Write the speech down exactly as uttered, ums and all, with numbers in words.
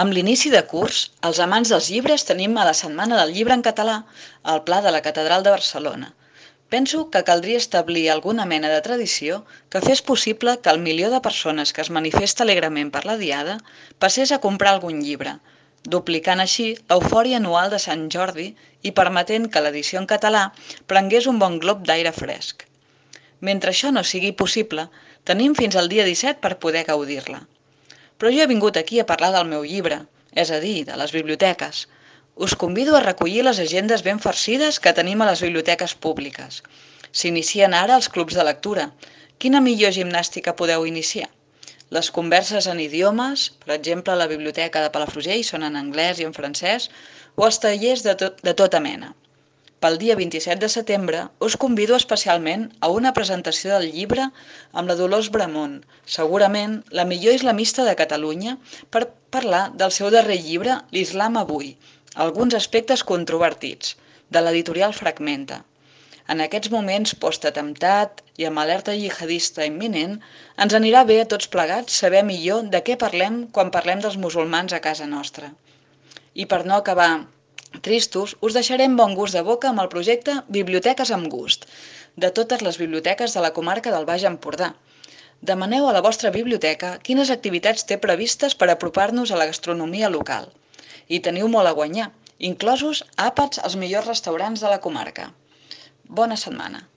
Amb l'inici de curs, els amants dels llibres tenim a la Setmana del Llibre en Català al Pla de la Catedral de Barcelona. Penso que caldria establir alguna mena de tradició que fes possible que el milió de persones que es manifesta alegrement per la Diada passés a comprar algun llibre, duplicant així l'eufòria anual de Sant Jordi i permetent que l'edició en català prengués un bon glop d'aire fresc. Mentre això no sigui possible, tenim fins al dia disset per poder gaudir-la. Però jo he vingut aquí a parlar del meu llibre, és a dir, de les biblioteques. Us convido a recollir les agendes ben farcides que tenim a les biblioteques públiques. S'inicien ara els clubs de lectura. Quina millor gimnàstica podeu iniciar? Les converses en idiomes, per exemple a la biblioteca de Palafrugell són en anglès i en francès, o els tallers de, tot, de tota mena. Pel dia vint-i-set de setembre us convido especialment a una presentació del llibre amb la Dolors Bramon, segurament la millor islamista de Catalunya, per parlar del seu darrer llibre, L'Islam avui, alguns aspectes controvertits, de l'editorial Fragmenta. En aquests moments post-atemptat i amb alerta jihadista imminent, ens anirà bé a tots plegats saber millor de què parlem quan parlem dels musulmans a casa nostra. I per no acabar tristos, us deixarem bon gust de boca amb el projecte Biblioteques amb gust, de totes les biblioteques de la comarca del Baix Empordà. Demaneu a la vostra biblioteca quines activitats té previstes per apropar-nos a la gastronomia local. I teniu molt a guanyar, inclosos àpats als millors restaurants de la comarca. Bona setmana!